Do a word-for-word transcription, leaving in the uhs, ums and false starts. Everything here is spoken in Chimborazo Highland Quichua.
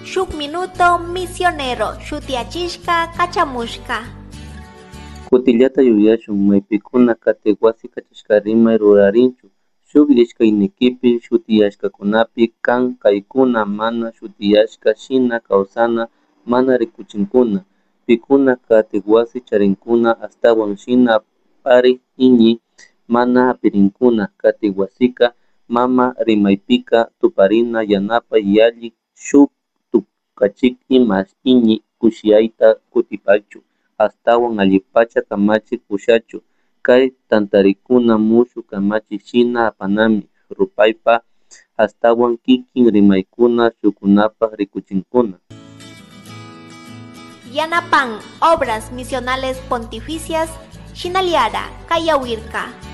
Shuk Minuto Misionero shutiyachishka kachamushka. Kutillata yuyashun maypikuna katik wasi kachashka rimay rurarinchu shuk ishkaynikipi shutiyashkakunapi kan kaykuna mana shutiyashka shina kawsana mana rikuchinkuna pikuna katik wasi charinkuna ashtawan shina pari iñi mana hapirinkuna katik wasika mama rimaypika tuparina yanapay yalli shuk tukachik ima iñi kushiyayta kutipachu ashtawan allipacha kamachik pushachu kay tantarikuna mushuk kamachik shina apanami rupaypa ashtawan kikin rimaykuna shukunapak rikuchinkuna. Yanapan Obras Misionales Pontificias Shinaliara Kayawirka.